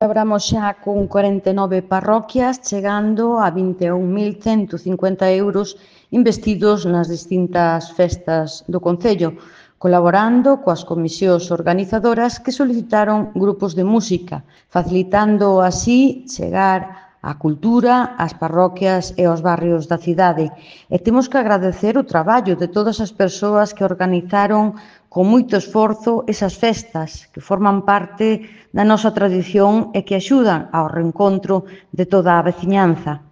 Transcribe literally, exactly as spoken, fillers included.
Celebramos xa con corenta e nove parroquias, chegando a vinte e un mil cento cincuenta euros investidos nas distintas festas do Concello, colaborando coas comisións organizadoras que solicitaron grupos de música, facilitando así chegar a cultura ás parroquias e aos barrios da cidade. E temos que agradecer o traballo de todas as persoas que organizaron con moito esforzo esas festas que forman parte da nosa tradición e que axudan ao reencontro de toda a veciñanza.